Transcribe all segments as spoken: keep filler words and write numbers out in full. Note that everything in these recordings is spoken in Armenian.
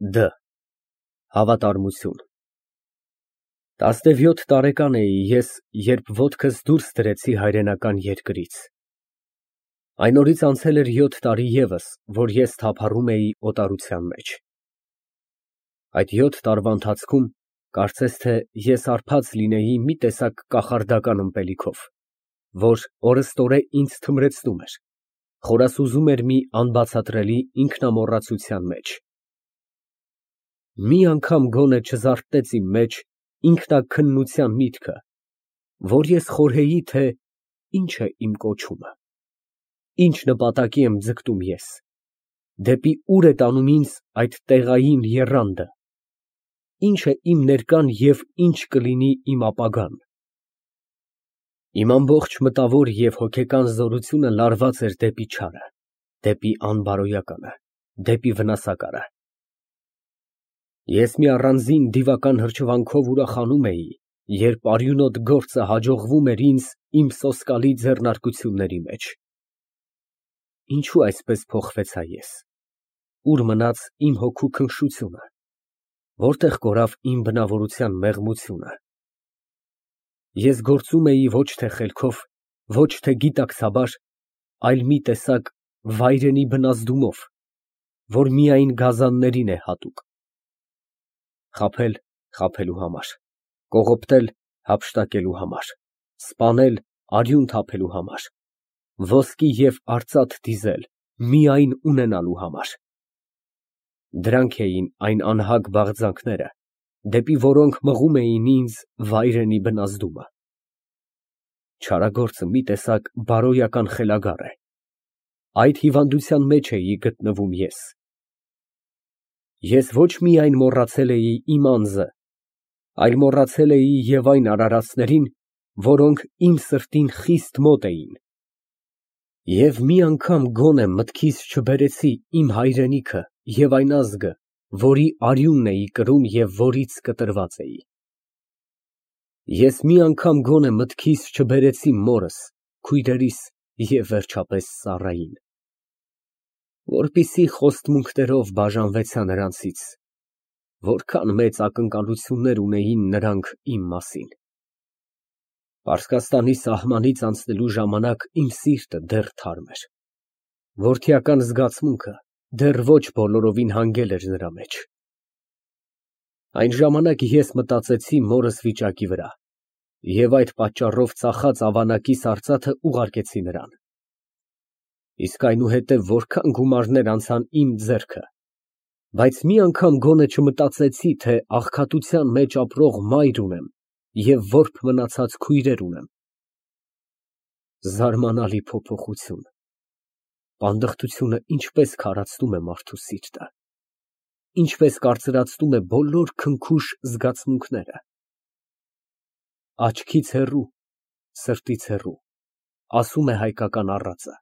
Դ Հավատարմություն Տասնևյոթ տարեկան էի ես, երբ ոտքս դուրս դրեցի հայրենական երկրից։ Այն օրից անցել էր յոթ տարի ևս, որ ես թափառում էի օտարության մեջ։ Այդ յոթ տարվա ընթացքում կարծես թե ես հարբած լինեի մի տեսակ կախարդական ըմպելիքով, որ օրըստօրե ինձ թմրեցնում էր, խորասուզում էր մի անբացատրելի ինքնամոռացության մեջ։ Մի անգամ գոնե չզարթնեց իմ մեջ ինքնաքննության միտքը, որ ես խորհեի, թե ինչ է իմ կոչումը, ինչ նպատակի եմ ձգտում ես, դեպի ուր է տանում ինձ այդ տեղային եռանդը, ինչ է իմ ներկան և ինչ կլինի իմ ապագան։ Իմ ամբողջ մտավոր և հոգեկան զորությունը լարված էր դեպի չարը, դեպի անբարոյականը, դեպի վնասակարը։ Ես մի առանձին դիվական հրճվանքով ուրախանում էի, երբ արյունոտ գործը հաջողվում էր ինձ իմ սոսկալի ձեռնարկությունների մեջ։ Ինչո՞ւ այսպես փոխվեցա ես, ուր մնաց իմ հոգու քնքշությունը, որտեղ կորավ իմ բնավորության մեղմությունը։ Ես գործում էի ոչ թե խելքով, ոչ թե գիտակցաբար, այլ մի տեսակ վայրենի բնազդումով, որ միայն գազաններին է հատուկ։ Խաբել խաբելու համար, կողոպտել հափշտակելու համար, սպանել արյուն թափելու համար, ոսկի և արծաթ դիզել միայն ունենալու համար։ Դրանք էին այն անհագ բաղձանքները, դեպի որոնք մղում էին ինձ վայրենի բնազդումը։ Չարագործը մի տեսակ բարոյական խելագար է, այդ հիվանդության մեջ էի գտնվում ես։ Ես ոչ միայն մոռացել էի իմ անձը, այլ մոռացել էի և այն արարածներին, որոնք իմ սրտին խիստ մոտ էին։ Եվ մի անգամ գոնե մտքիս չբերեցի իմ հայրենիքը և այն ազգը, որի արյունն էի կրում և որից կտրված էի։ Ես մի անգամ գոնե մտքիս չբերեցի մորս, քույրերիս և վերջապես ծառային, որպեսզի խոստմունքներով բաժանվեցա նրանցից, որքան մեծ ակնկալություններ ունեին նրանք իմ մասին։ Պարսկաստանի սահմանից անցնելու ժամանակ իմ սիրտը դեռ թարմ էր, որդիական զգացմունքը դեռ ոչ բոլորովին հանգել էր նրա մեջ։ Այն ժամանակ ես մտածեցի մորս վիճակի վրա և այդ պատճառով ծախած ավանակիս արծաթը ուղարկեցի նրան։ Իսկ այնուհետև որքան գումարներ անցան իմ ձեռքը, բայց մի անգամ գոնե չմտածեցի, թե աղքատության մեջ ապրող մայր ունեմ և որբ մնացած քույրեր ունեմ։ Զարմանալի փոփոխություն, պանդխտությունը ինչպես քարացնում է մարդու սիրտը, ինչպես կարծրացնում է բոլոր քնքուշ զգացմունքները։ Աչքից հեռու, սրտից հեռու, ասում է հայկական առածը,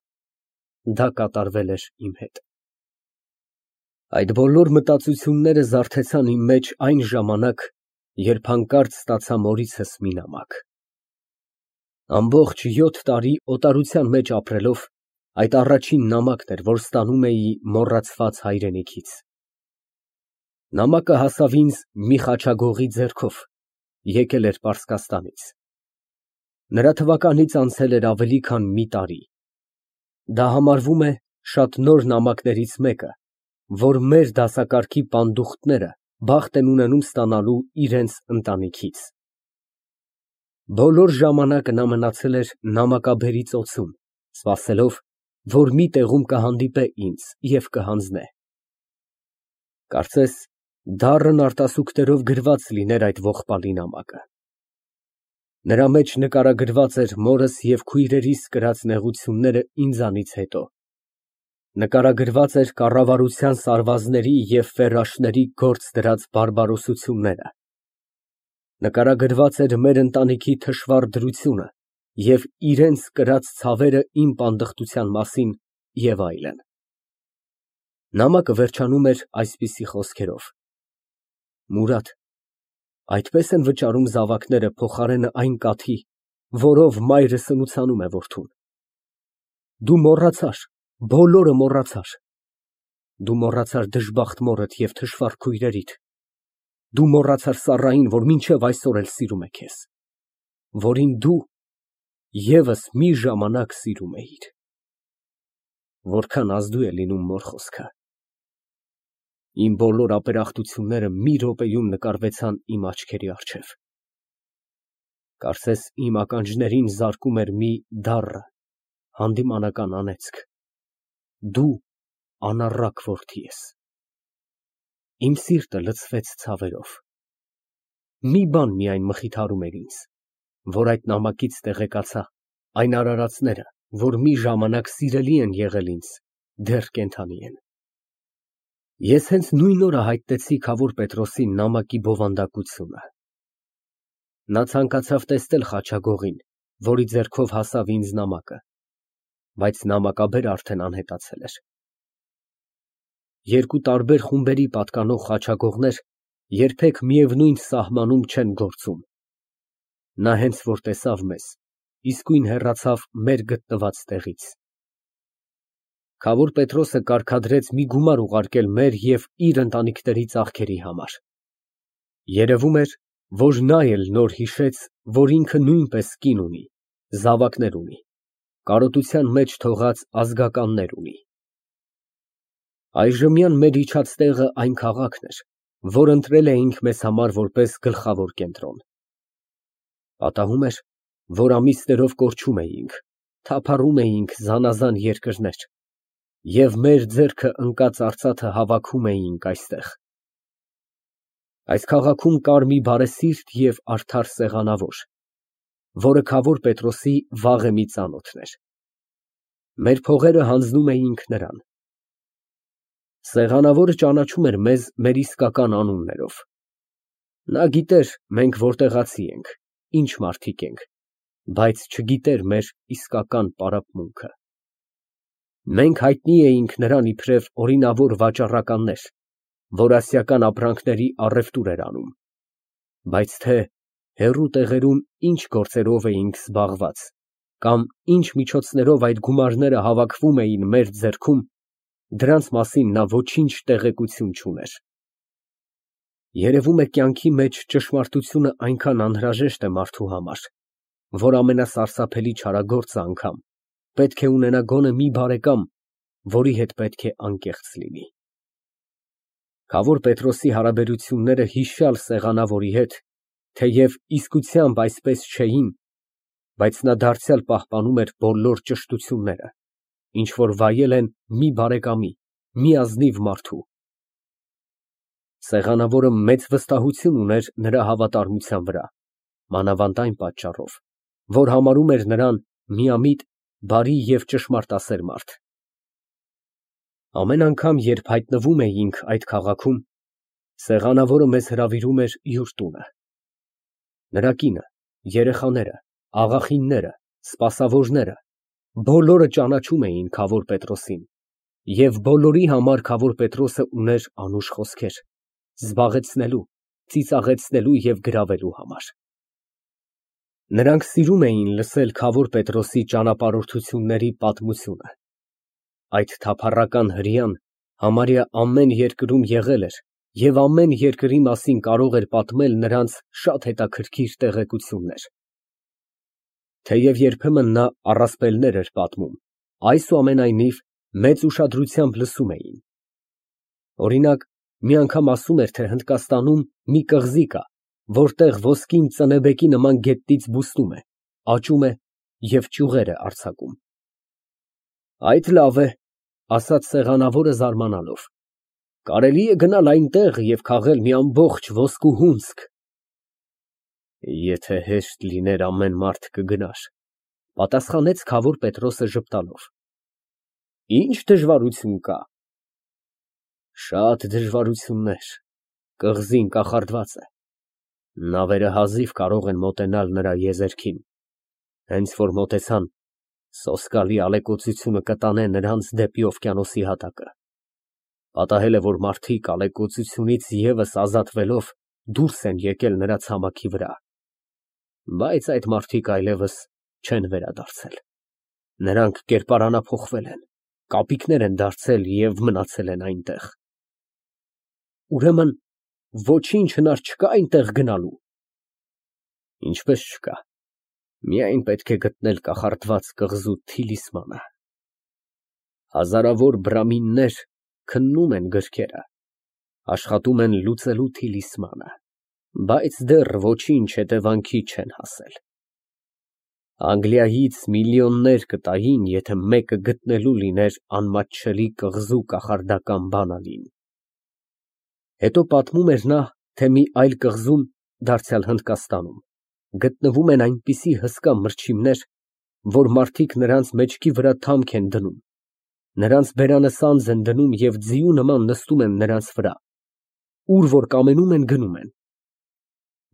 դա կատարվել էր իմ հետ։ Այդ բոլոր մտածությունները զարթեցան իմ մեջ այն ժամանակ, երբ հանկարծ ստացա մորիցս մի նամակ։ Ամբողջ յոթ տարի օտարության մեջ ապրելով, այդ առաջին նամակն էր, որ ստանում էի մոռացված հայրենիքից։ Նամակը հասավ ինձ մի խաչագողի ձեռքով, եկել էր Պարսկաստանից։ Նրա թվականից անցել էր ավելի քան մի տարի։ Դա համարվում է շատ նոր նամակներից մեկը, որ մեր դասակարգի պանդուխտները բախտ են ունենում ստանալու իրենց ընտանիքից։ Բոլոր ժամանակը նա մնացել էր նամակաբերի ծոցում, սպասելով, որ մի տեղում կհանդիպե ինձ և կհանձնե։ Կարծես դառն արտասուքներով գրված լիներ այդ ողբալի նամակը։ Նրա մեջ նկարագրված էր մորս և քույրերիս կրած նեղությունները ինձանից հետո, նկարագրված էր կառավարության սարվազների և ֆերաշների գործ դրած բարբարոսությունները, նկարագրված էր մեր ընտանիքի թշվառ դրությունը և իրենց կրած ցավերը իմ պանդխտության մասին և այլն։ Նամակը վերջանում էր այսպիսի խոսքերով. «Մուրադ, այդպես են վճարում զավակները փոխարենը այն կաթի, որով մայրը սնուցանում է որդուն։ Դու մոռացար, բոլորը մոռացար։ Դու մոռացար դժբախտ մորդ և թշվառ քույրերիդ, դու մոռացար Սառային, որ մինչև այսօր էլ սիրում է քեզ, որին դու ևս մի ժամանակ սիրում էիր։ Որքան ազդու է լինում մոր խոսքը։ Իմ բոլոր ապերախտությունները մի րոպեում նկարվեցան իմ աչքերի առջև։ Կարծես իմ ականջներին զարկում էր մի դառը, հանդիմանական անեծք։ Դու անառակ որդի ես։ Իմ սիրտը լցվեց ցավերով։ Մի բան միայն մխիթարում էր ինձ, որ այդ նամակից տեղեկացա, այն արարածները, որ մի ժամանակ սիրելի են եղել ինձ, դեռ կենդանի են։ Ես հենց նույն օրը հայտնեցի Քավոր Պետրոսին նամակի բովանդակությունը։ Նա ցանկացավ տեսնել խաչագողին, որի ձեռքով հասավ ինձ նամակը, բայց նամակաբերը արդեն անհետացել էր։ Երկու տարբեր խումբերի պատկանող խաչագողներ երբեք միևնույն սահմանում չեն գործում։ Նա հենց որ տեսավ մեզ, իսկույն հեռացավ մեր գտնված տեղից։ Քավոր Պետրոսը կարգադրեց մի գումար ուղարկել մեր և իր ընտանիքների ծախքերի համար։ Երևում էր, որ նա էլ նոր հիշեց, որ ինքը նույնպես կին ունի, զավակներ ունի, կարոտության մեջ թողած ազգականներ ունի։ Այժմյան մեր իջած տեղը այն քաղաքն էր, որ ընտրել էինք մեզ համար որպես գլխավոր կենտրոն։ Պատահում էր, որ ամիսներով կորչում էինք, թափառում էինք զանազան երկրներ և մեր ձեռքը ընկած արծաթը հավաքում էինք այստեղ։ Այս քաղաքում կար մի բարեսիրտ և արդար սեղանավոր, որը Քավոր Պետրոսի վաղեմի ծանոթն էր։ Մեր փողերը հանձնում էինք նրան։ Սեղանավորը ճանաչում էր մեզ մեր իսկական անուններով։ Նա գիտեր մենք որտեղացի ենք, ինչ մարդիկ ենք, բայց չգիտեր մեր իսկական պարապմունքը։ Մենք հայտնի էինք նրան իբրև օրինավոր վաճառականներ, որ ասիական ապրանքների առևտուր էր անում, բայց թե հեռու տեղերում ինչ գործերով էինք զբաղված, կամ ինչ միջոցներով այդ գումարները հավաքվում էին մեր ձեռքում, դրանց մասին նա ոչինչ տեղեկություն չուներ։ Երևում է կյանքի մեջ ճշմարտությունը այնքան անհրաժեշտ է մարդու համար, որ ամենասարսափելի չարագործը անգամ պետք է ունենա գոնե մի բարեկամ, որի հետ պետք է անկեղծ լինի։ Քավոր Պետրոսի հարաբերությունները հիշյալ սեղանավորի հետ, թեև իսկությամբ այսպես չէին, բայց նա դարձյալ պահպանում էր բոլոր ճշտությունները, ինչ որ վայել են մի բարեկամի, մի ազնիվ մարդու։ Սեղանավորը մեծ վստահություն ուներ նրա հավատարմության վրա, մանավանդ այն պատճառով, որ համարում էր նրան միամիտ, բարի և ճշմարտասեր մարդ։ Ամեն անգամ, երբ հայտնվում էինք այդ քաղաքում, սեղանավորը մեզ հրավիրում էր յուր տունը։ Նրա կինը, երեխաները, աղախինները, սպասավորները բոլորը ճանաչում էին Քավոր Պետրոսին, և բոլորի համար Քավոր Պետրոսը ուներ անուշ խոսքեր, զբաղեցնելու, ծիծաղեցնելու և գրավելու համար։ Նրանք սիրում էին լսել Քավոր Պետրոսի ճանապարհորդությունների պատմությունը։ Այդ թափառական հրեան համարյա ամեն երկրում եղել էր և ամեն երկրի մասին կարող էր պատմել նրանց շատ հետաքրքիր տեղեկություններ։ Թեև երբեմն նա առասպելներ էր պատմում, այսուամենայնիվ մեծ ուշադրությամբ լսում էին։ Օրինակ, մի անգամ ասում էր, թե Հնդկաստանում մի կղզի կա, որտեղ ոսկին ծնեբեկի նման գետնից բուստում է, աճում է և ճյուղեր է արձակում։ Այդ լավ է, ասաց սեղանավորը զարմանալով, կարելի է գնալ այնտեղ և քաղել մի ամբողջ ոսկու հունձք։ Եթե հեշտ լիներ, ամեն մարդ կգնար, պատասխանեց Քավոր Պետրոսը ժպտալով։ Ինչ դժվարություն կա։ Շատ դժվարություններ, կղզին կախարդված է, նավերը հազիվ կարող են մոտենալ նրա եզերքին, հենց որ մոտեցան, սոսկալի ալեկոծությունը կտանե նրանց դեպի օվկիանոսի հատակը։ Պատահել է, որ մարդիկ ալեկոծությունից ևս ազատվելով դուրս են եկել նրա ցամաքի վրա, բայց այդ մարդիկ այլևս չեն վերադարձել։ Նրանք կերպարանափոխվել են, կապիկներ են դարձել և մնացել են այնտեղ։ Ուրեմն ոչինչ հնար չկա այնտեղ գնալու։ Ինչպես չկա, միայն պետք է գտնել կախարդված կղզու թիլիսմանը։ Հազարավոր բրամիններ քննում են գրքերը, աշխատում են լուծելու թիլիսմանը, բայց դեռ ոչինչ հետևանքի չեն հասել։ Անգլիայից միլիոններ կտային, եթե մեկը գտնելու լիներ անմատչելի կղզու կախարդական բանալին։ Հետո պատմում էր նա, թե մի այլ կղզում, դարձյալ Հնդկաստանում, գտնվում են այնպիսի հսկա մրջիմներ, որ մարդիկ նրանց մեջքի վրա թամք են դնում, նրանց բերանը սանձ են դնում և ձիու նման նստում են նրանց վրա, ուր որ կամենում են գնում են։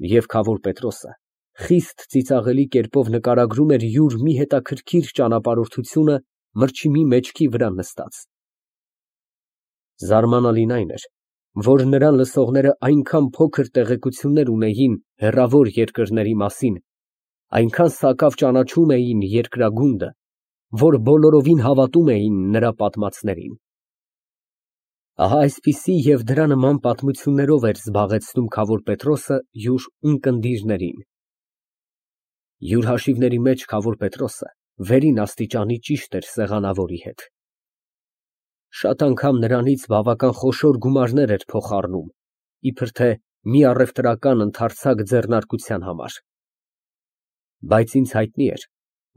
Եվ քավոր Պետրոսը խիստ ծիծաղելի կերպով նկարագրում էր յուր մի հետաքրքիր ճանապարհորդությունը մրջիմի մեջքի վրա նստած։ Զարմանալին այն էր, որ նրան լսողները այնքան փոքր տեղեկություններ ունեին հեռավոր երկրների մասին, այնքան սակավ ճանաչում էին երկրագունդը, որ բոլորովին հավատում էին նրա պատմածներին։ Ահա այսպիսի և դրա նման պատմություններով էր զբաղեցնում քավոր Պետրոսը յուր ունկնդիրներին։ Յուր հաշիվների մեջ քավոր Պետրոսը վերին աստիճանի ճիշտ էր սեղանավորի հետ։ Շատ անգամ նրանից բավական խոշոր գումարներ էր փոխառնում, իբր թե մի առևտրական ընդարձակ ձեռնարկության համար։ Բայց ինձ հայտնի էր,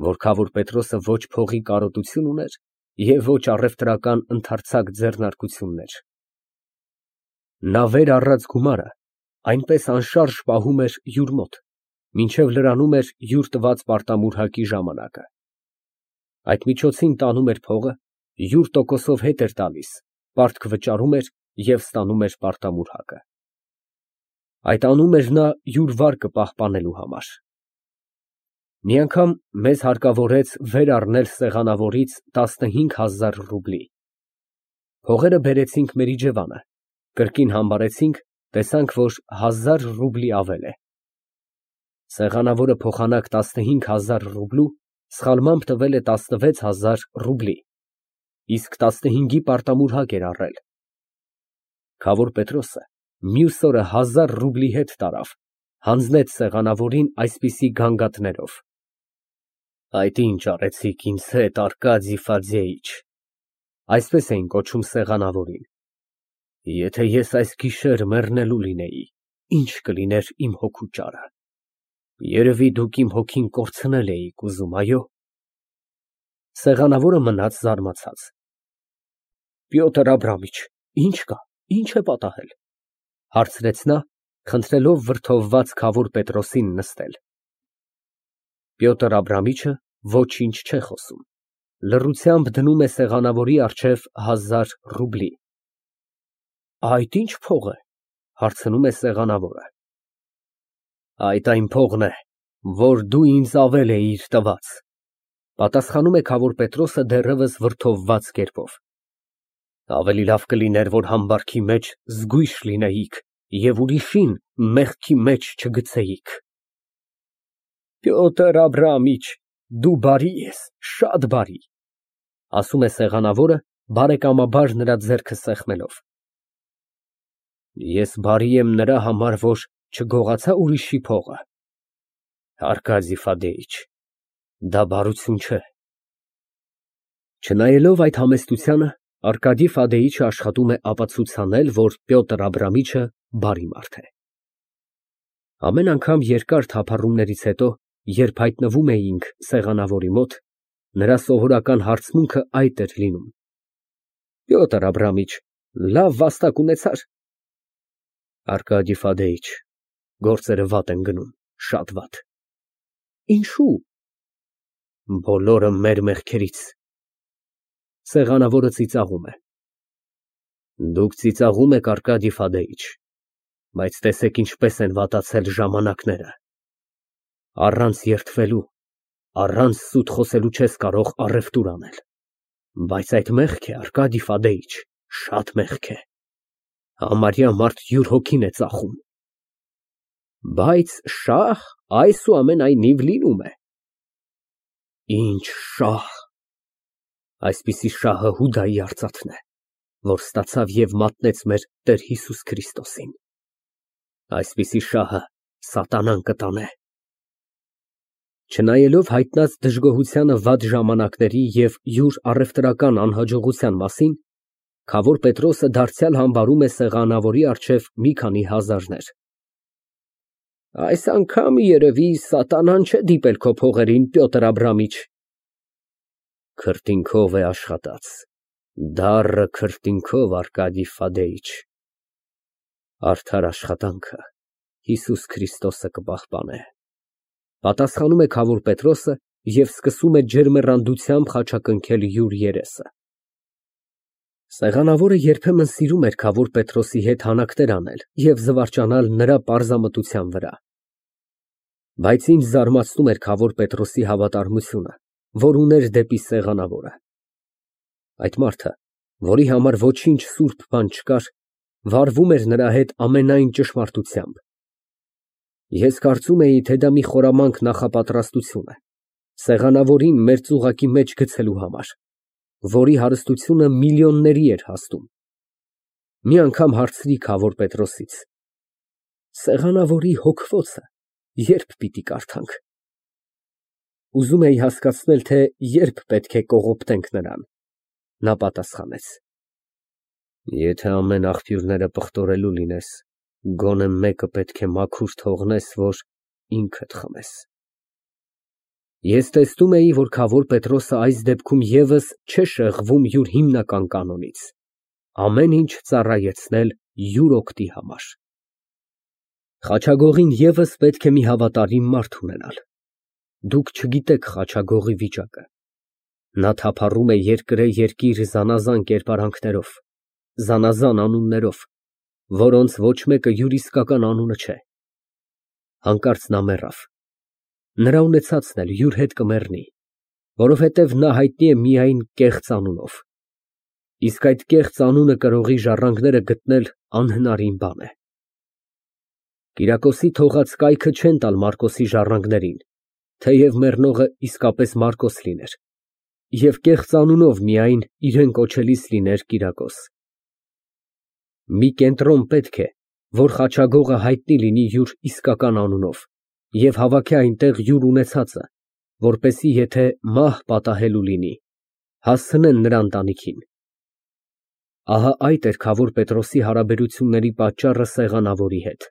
որ քավոր Պետրոսը ոչ փողի կարոտություն ուներ և ոչ առևտրական ընդարձակ ձեռնարկություններ։ Նա վեր առած գումարը այնպես անշարժ պահում էր յուր մոտ, մինչև լրանում էր յուր տված պարտամուրհակի ժամանակը։ Այդ միջոցին տանում էր փողը, յուր տոկոսով հետ էր տալիս, պարտք վճարում էր և ստանում էր պարտամուրհակը։ Այդ անում էր նա յուր վարկը պահպանելու համար։ Մի անգամ մեզ հարկավորեց վեր առնել սեղանավորից տասնհինգ հազար ռուբլի։ Փողերը բերեցինք մեր իջևանը, կրկին համբարեցինք, տեսանք, որ հազար ռուբլի ավել է։ Սեղանավորը փոխանակ տասնհինգ հազար ռուբլու սխալմամբ տվել է տասնվեց հազար ռուբլի, իսկ տասնհինգի պարտամուրհակ էր առել։ Քավոր Պետրոսը մյուս օրը հազար ռուբլի հետ տարավ, հանձնեց սեղանավորին այսպիսի գանգատներով. Այդ ինչ արեցիք ինձ հետ, Արկադիյ Ֆադեյիչ (այսպես էին կոչում սեղանավորին)։ Եթե ես այս գիշեր մեռնելու լինեի, ի՞նչ կլիներ իմ հոգու ճարը։ Երևի դուք իմ հոգին կորցնել էիք ուզում, այո։ Սեղանավորը մնաց զարմացած։ Պյոտր Աբրամիչ, ի՞նչ կա, ի՞նչ է պատահել, հարցրեց նա, խնդրելով վրդովված քավոր Պետրոսին նստել։ Պյոտր Աբրամիչը ոչինչ չէ խոսում, լռությամբ դնում է սեղանավորի առջև հազար ռուբլի։ Այդ ի՞նչ փող է, հարցնում է սեղանավորը։ Այդ այն փողն է, որ դու ինձ ավել էիր տված, պատասխանում է քավոր Պետրոսը դեռևս վրդովված կերպով։ Ավելի լավ կլիներ, որ համբարքի մեջ զգույշ լինեիք և ուրիշին մեղքի մեջ չգցեիք։ Պյոտր Աբրամիչ, դու բարի ես, շատ բարի, ասում է սեղանավորը, բարեկամաբար նրա ձեռքը սեղմելով։ Ես բարի եմ նրա համար, որ չգողացա ուրիշի փողը։ Արկադիյ Ֆադեյիչ, դա բարություն չէ։ Չնայելով այդ համեստությանը, Արկադիյ Ֆադեյիչը աշխատում է ապացուցանել, որ Պյոտր Աբրամիչը բարի մարդ է։ Ամեն անգամ երկար թափառումներից հետո, երբ հայտնվում էինք սեղանավորի մոտ, նրա սովորական հարցմունքը այդ էր լինում. Պյոտր Աբրամիչ, լավ վաստակ ունեցա՞ր։ Արկադիյ Ֆադեյիչ, գործերը վատ են գնում, շատ վատ։ Ինչո՞ւ։ Բոլորը մեր մեղքերից։ Սեղանավորը ծիծաղում է։ Դուք ծիծաղում եք, Արկադիյ Ֆադեյիչ, բայց տեսեք ինչպես են վատացել ժամանակները։ Առանց երդվելու, առանց սուտ խոսելու չես կարող առևտուր անել։ Բայց այդ մեղք է, Արկադիյ Ֆադեյիչ, շատ մեղք է։ Համարյա մարդ յուր հոգին է ծախում։ Բայց շահ այսուամենայնիվ լինում է։ Ինչ շահ։ Այսպիսի շահը Հուդայի արծաթն է, որ ստացավ և մատնեց մեր Տեր Հիսուս Քրիստոսին։ Այսպիսի շահը սատանան կտանե։ Չնայելով հայտնած դժգոհությանը վատ ժամանակների և յուր առևտրական անհաջողության մասին, Քավոր Պետրոսը դարձյալ համբարում է սեղանավորի առջև մի քանի հազարներ։ Այս անգամ երևի սատանան չէ դիպել քո փողերին, Պյոտր Աբրամիչ։ Քրտինքով է աշխատած, դառը քրտինքով, Արկադի Ֆադեիչ։ Արդար աշխատանքը Հիսուս Քրիստոսը կպահպանե, պատասխանում է Քավոր Պետրոսը և սկսում է ջերմեռանդությամբ խաչակնքել յուր երեսը։ Սեղանավորը երբեմն սիրում էր Քավոր Պետրոսի հետ հանակներ անել և զվարճանալ նրա պարզամտության վրա։ Բայց ինձ զարմացնում էր Քավոր Պետրոսի հավատարմությունը, որ ուներ դեպի սեղանավորը։ Այդ մարդը, որի համար ոչինչ սուրբ բան չկար, վարվում էր նրա հետ ամենայն ճշմարտությամբ։ Ես կարծում էի, թե դա մի խորամանկ նախապատրաստություն է, սեղանավորին մեր ծուղակի մեջ գցելու համար, որի հարստությունը միլիոնների էր հասնում։ Մի անգամ հարցրի Քավոր Պետրոսից. Սեղանավորի հոգվոցը ե՞րբ պիտի կարդանք։ Ուզում էի հասկացնել, թե ե՞րբ պետք է կողոպտենք նրան։ Նա պատասխանեց. Եթե ամեն աղբյուրները պղտորելու լինես, գոնե մեկը պետք է մաքուր թողնես, որ ինքդ խմես։ Ես տեսնում էի, որ Քավոր Պետրոսը այս դեպքում ևս չէ շեղվում յուր հիմնական կանոնից, ամեն ինչ ծառայեցնել յուր օգտի համար։ Խաչագողին ևս պետք է մի հավատարիմ մարդ ունենալ։ Դուք չգիտեք խաչագողի վիճակը։ Նա թափառում է երկրե երկիր զանազան կերպարանքներով, զանազան անուններով, որոնց ոչ մեկը յուր իսկական անունը չէ։ Հանկարծ նա մեռավ։ Նրա ունեցածն էլ յուր հետ կմեռնի, որովհետև նա հայտնի է միայն կեղծ անունով։ Իսկ այդ կեղծ անունը կրողի ժառանգները գտնել անհնարին բան է։ Կիրակոսի թողած կայքը չեն տալ Մարկոսի ժառանգներին, թեև մեռնողը իսկապես Մարկոս լիներ, և կեղծ անունով միայն իրեն կոչելիս լիներ Կիրակոս։ Մի կենտրոն պետք է, որ խաչագողը հայտնի լինի յուր իսկական անունով և հավաքի այնտեղ յուր ունեցածը, որպեսզի եթե մահ պատահելու լինի, հասցնեն նրա ընտանիքին։ Ահա այդ էր Քավոր Պետրոսի հարաբերությունների պատճառը սեղանավորի հետ։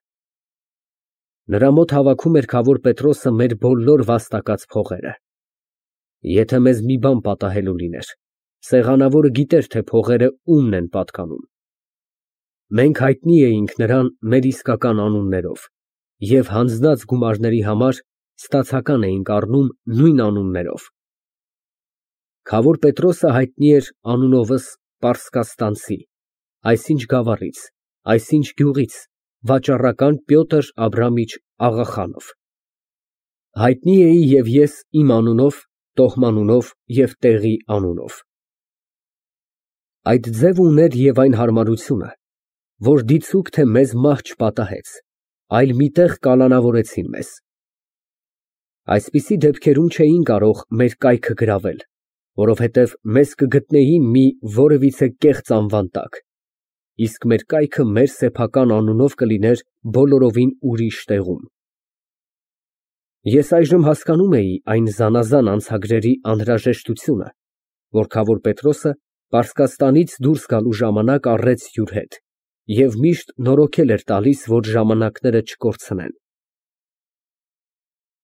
Նրա մոտ հավաքում էր Քավոր Պետրոսը մեր բոլոր վաստակած փողերը։ Եթե մեզ մի բան պատահելու լիներ, սեղանավորը գիտեր, թե փողերը ումն են պատկանում։ Մենք հայտնի էինք նրան մեր իսկական անուններով և հանձնած գումարների համար ստացական էինք առնում նույն անուններով։ Քավոր Պետրոսը հայտնի էր անունովս Պարսկաստանցի, այսինչ գավառից, այսինչ գյուղից, վաճառական Պյոտր Աբրամիչ Աղախանով։ Հայտնի էի և ես իմ անունով, տոհմանունով և տեղի անունով։ Այդ ձևը ուներ և այն հարմարությունը, որ դիցուք թե մեզ մահ չպատահեց, այլ մի տեղ կալանավորեցին մեզ։ Այսպիսի դեպքերում չէին կարող մեր կայքը գրավել, որովհետև մեզ կգտնեին մի որևիցե կեղծ անվան տակ, իսկ մեր կայքը մեր սեփական անունով կլիներ բոլորովին ուրիշ տեղում։ Ես այժմ հասկանում էի այն զանազան անցագրերի անհրաժեշտությունը, որ Քավոր Պետրոսը Պարսկաստանից դուրս գալու ժամանակ առեց յուր հետ և միշտ նորոգել էր տալիս, որ ժամանակները չկորցնեն։